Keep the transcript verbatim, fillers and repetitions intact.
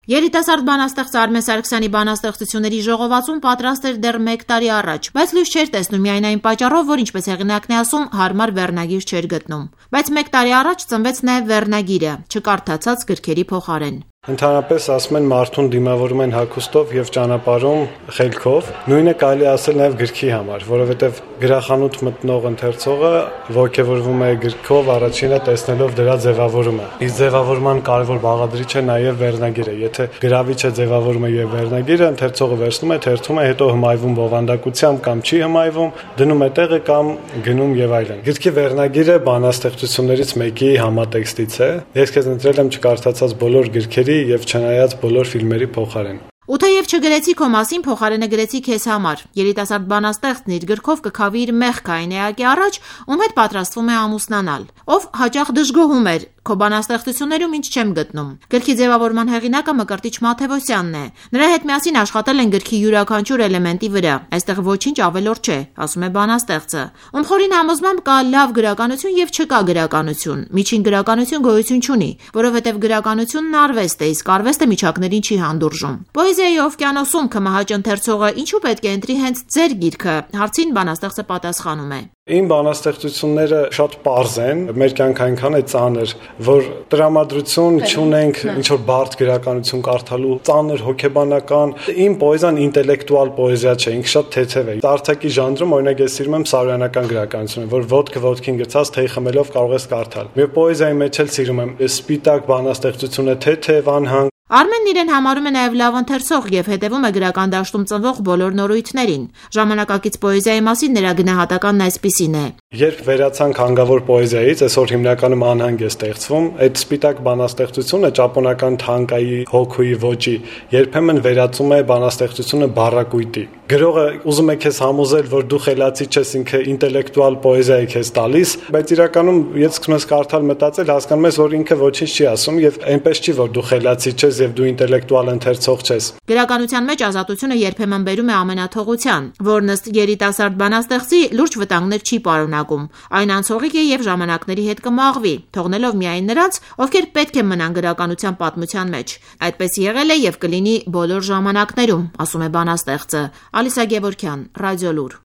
Երիտասարդ բանաստեղծ Արմեն Սարգսյանի բանաստեղծությունների ժողովածուն պատրաստ էր դեռ մեկ տարի առաջ, բայց լույս չէր տեսնում միայն այն պատճառով, որ ինչպես հեղինակն է ասում, հարմար վերնագիր չէր գտնում։ Բայց մեկ տարի առաջ ծնվեց նաև վերնագիրը, չկարդացած գրքերի փոխարեն։ Ընդհանրապես ասում են մարդուն դիմավորում են հագուստով եւ ճանապարհում խելքով, նույնը կարելի ասել նաեւ գրքի համար, որովհետեւ գրախանութ մտնող ընթերցողը ողջևորվում է գրքով առաջինը տեսնելով դրա ձևավորումը։ Իսկ ձևավորման կարևոր բաղադրիչը նաեւ վերնագիրը։ Եթե գրավիչը ձևավորում է եւ վերնագիրը, ընթերցողը վերցնում է, թերթում է, հետո հմայվում բովանդակությամբ կամ չի հմայվում, դնում է տեղը կամ գնում եւ այլն։ Գրքի վերնագիրը բանաստեղծություններից մեկի համատեքստից է։ Ես քեզ ընտրել եմ չկարդացած բոլոր գրքերի եւ չնայած բոլոր ֆիլմերի փոխարեն։ Ու թեև չգրեցի քո մասին, փոխարենը գրեցի քեզ համար։ Երիտասարդ բանաստեղծն իր գրքով կքավի իր մեղքը այն էակի առաջ, ում հետ պատրաստվում է ամուսնանալ, ով հաճախ դժգոհում էր. Քո բանաստեղծություններում ինչ չեմ գտնում։ Գրքի ձևավորման հեղինակը Մկրտիչ Մաթևոսյանն է։ Նրա հետ միասին աշխատել են գրքի յուրաքանչյուր էլեմենտի վրա։ Այստեղ ոչինչ ավելորդ չէ, ասում է բանաստեղծը։ Ում խորին համոզմամբ կա լավ գրականություն եւ չկա գրականություն։ Միջին գրականություն գոյություն չունի, որովհետեւ գրականությունն արվեստ է, իսկ արվեստը միջակներին չի հանդուրժում։ Պոեզիայի օվկիանոսում կմահաճ ընթերցողը ինչու պետք է ընտրի հենց ձեր գիրքը, հարցին բանաստեղծը պատասխանում է. Իմ բանաստեղծությունները շատ պարզ են, մեր կյանքը այնքան է ծանր, որ տրամադրություն չունենք ինչ-որ բարդ գրականություն կարդալու, ծանր հոգեբանական։ Իմ պոեզիան ինտելեկտուալ պոեզիա չէ, ինքը շատ թեթև է։ Արտակի ժանրում օրինակ ես սիրում եմ սարոյանական գրականությունը, որ ոտքը ոտքին գցած թեյ խմելով կարող ես կարդալ։ Մեր պոեզիայի մեջ էլ սիրում եմ սպիտակ բանաստեղծությունը, թեթև, անհանգ։ Արմենն իրեն համարում է նաև լավ ընթերցող եւ հետևում է գրական դաշտում ծնվող բոլոր նորույթներին։ Ժամանակակից պոեզիայի մասին նրա գնահատականն այսպիսին է. Երբ վերացանք հանգավոր պոեզիայից, այսօր հիմնականում անհանգ է ստեղծվում, այդ սպիտակ բանաստեղծությունը ճապոնական թանկայի հոգուի ոճի երբեմն վերածում է բանաստեղծությունը բառակույտի։ Գրողը ուզում է քեզ համոզել, որ դու խելացի չես, ինքը ինտելեկտուալ պոեզիա է քեզ տալիս, բայց իրականում ես սկսում ես կարդալ, մտածել, հասկանում ես, որ ինքը ոչինչ չի ասում եւ այնպես չի, որ դու խելացի չես եւ դու ինտելեկտուալ ընթերցող չես։ Գրականության մեջ ազատությունը երբեմն բերում է ամենաթողության, որն ըստ երիտասարդ բանաստեղծի լուրջ վտանգներ չի պարունակում։ Այն անցողիկ է եւ ժամանակների հետ կմաղվի, թողնելով միայն նրանց, ովքեր պետք է մնան գրականության պատմության մեջ։ Այդպես եղել է եւ կլինի բոլոր ժամանակներում, ասում է բանաստեղծը։ Ալիսա Գևորգյան, Ռադիոլուր։